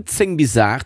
10 bis 8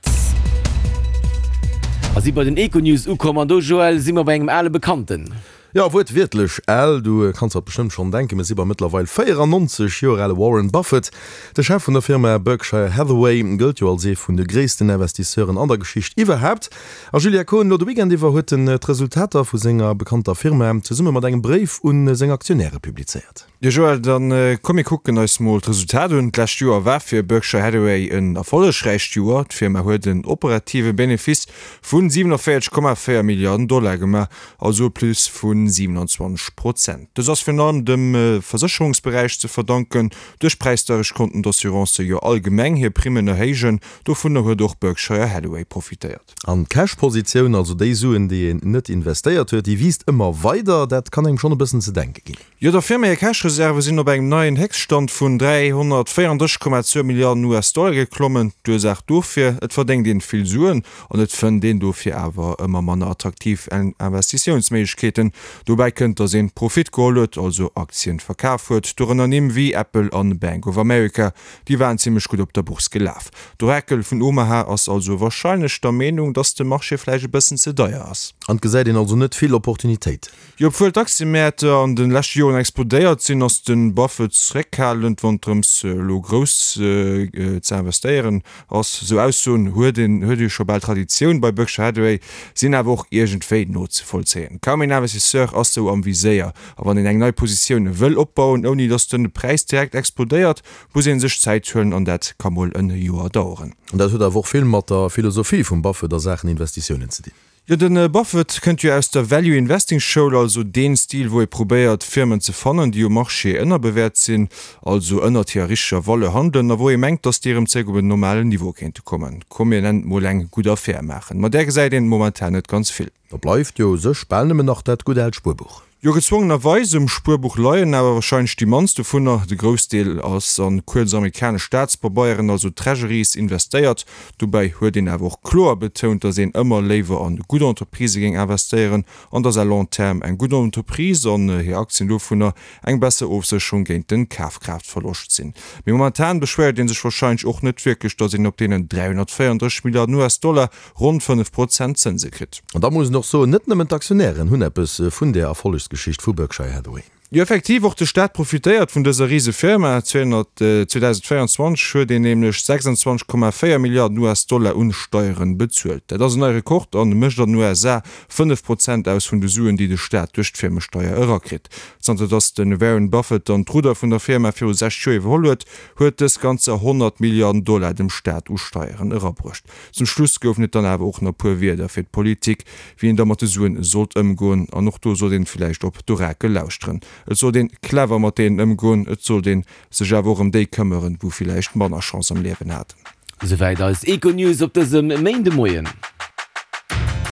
a si bei den Econews ukomm. An do, Joël, si mer bei engem ale Bekannten. Jo, wuertwiertlech al. Du kanns der et bestëmmt schonn denken, mir si beim mëttlerweil 94 Joer ale Warren Buffett. De Chef vun der Firma Berkshire Hathaway gëllt jo als ee vun de gréissten Investisseuren an der Geschicht iwwerhaapt. A Julia Kohn, elo de Weekend iwwer huet en d'Resultater vu senger bekannter Firma zesumme mat engem Bréif un seng Aktionäre publizéiert. Jo Joël, dann komm mir kucken eis mol d'Resultat un. D'lescht Joer war fir Berkshire Hathaway en erfollegräicht Joer. D'Firma huet en operative Benefice vu 47,4 Milliarden Dollar gemaach, also e Plus vu 27 Prozent. Dës ass virun allem dem Versécherungsberäich ze verdanken. Duerch d'Präisdeierecht konnten d'Assurancë jo allgemeng hir Primmen erhéijen. Dovunner huet och Berkshire Hathaway profitéiert. An d'Cash-Positioun, also déi Suen, déi een net investéiert huet, déi wiisst ëmmer weider. Dat kann engem schonn e bëssen ze denke ginn. Jo, der Firma hir Cash-Reserve sinn op engem neien Héchststand vun 334,2 Milliarden US-Dollar geklommen. D'Ursaach dofir, Et verdéngt een vill Suen an et fënnt een dofir awer ëmmer manner attraktiv Investitiounsméiglechkeeten. Dobäi kënnt, datt een Profit geholl huet, also Aktien verkaf huet, dorënner Nimm wéi Apple an Bank of America, déi waren zimmlech gutt op der Bourse gelaf. D'Orakel vun Omaha ass also warscheinlech der Meenung, datt de Marché vläicht e bëssen ze deier ass. An et gesäit een also net vill Opportunitéiten. Jo, obwuel d'Aktiëmäert an de leschte Joren explodéiert sinn, ass de Buffett zeréckhalend, wann et drëms elo grouss ze investéieren ass. Esou Aussoen huet een huet jo scho bal Traditioun bei Berkshire Hathaway, sinn awer och iergendwéi nozevollzéien. Kaum een Investisseur ass sou am Viséier, a wann een eng nei Positioun wëll opbauen, ouni datt de Präis direkt explodéiert, muss ee sech Zäit huelen, an dat ka mol en Joer daueren. An dat huet awer och vill mat der Philosophie vum Buffett a Saachen Investitiounen ze dinn. Jo, de Buffett kënnt jo aus der Value Investing Schoul, also deen Stil wou ee probéiert Firmen ze fannen déi um Marché ënnerbewäert sinn, also ënnert hirer richteger Valeur handelen, a wou ee mengt dass déi erëm zréck op en normalen Niveau kéinte kommen. Komm mir nennen et mol eng gutt Affär maachen. Ma där gesäit een momentan net ganz vill. Da bleift jo u sech bal nëmmen nach dat gutt aalt Spuerbuch. Jo, gezwongenerweis um Spuerbuch leien awer wahrscheinlech déi mannst dovunner. De Groussdeel ass an kuerz amerikanesch Staatspabeieren, also Treasuries, investéiert. Dobäi huet een awer och kloer betount, datt een ëmmer léiwer an gutt Entreprisë géing investéieren an datt à long terme eng gutt Entreprise an hir Aktien dovunner eng besser Ofsécherung géint den Kafkraaftverloscht sinn. Mee momentan beschwéiert een sech wahrscheinlech och net wierklech, datt een op deenen 334 Milliarden US-Dollar ronn 5 Prozent Zënse kritt. An da muss een och soen, net nëmmen d'Aktionären hunn eppes vun där Erfollegsgeschicht vu Berkshire Hathaway. Jo, effektiv, och de Staat profitéiert vun dëser Risefirma. 2024 huet een nämlech 26,4 Milliarden US-Dollar un Steieren bezuelt. Dat ass en neie Rekord an mécht an den USA 5 Prozent aus vun de Suen, déi de Staat duerch d'Firmesteier erakritt. Zanter datt de Warren Buffett dann d'Rudder vun der Firma viru 6 Joer iwwerholl huet, huet dës ganzer 100 Milliarden Dollar dem Staat u Steieren erabruecht. Zum Schluss goufen et dann awer och nach puer Wierder fir d'Politik, wéi een da mat de Suen sollt ëmgoen. An och do sollt een villäicht op d'Orakel lauschteren. Et sollt een clever mat deenen ëmgoen, et sollt een sech awer och ëm déi këmmeren, wou villäicht manner Chance am Liewen haten. Souwäit eis Econews op dësem Méindemoien.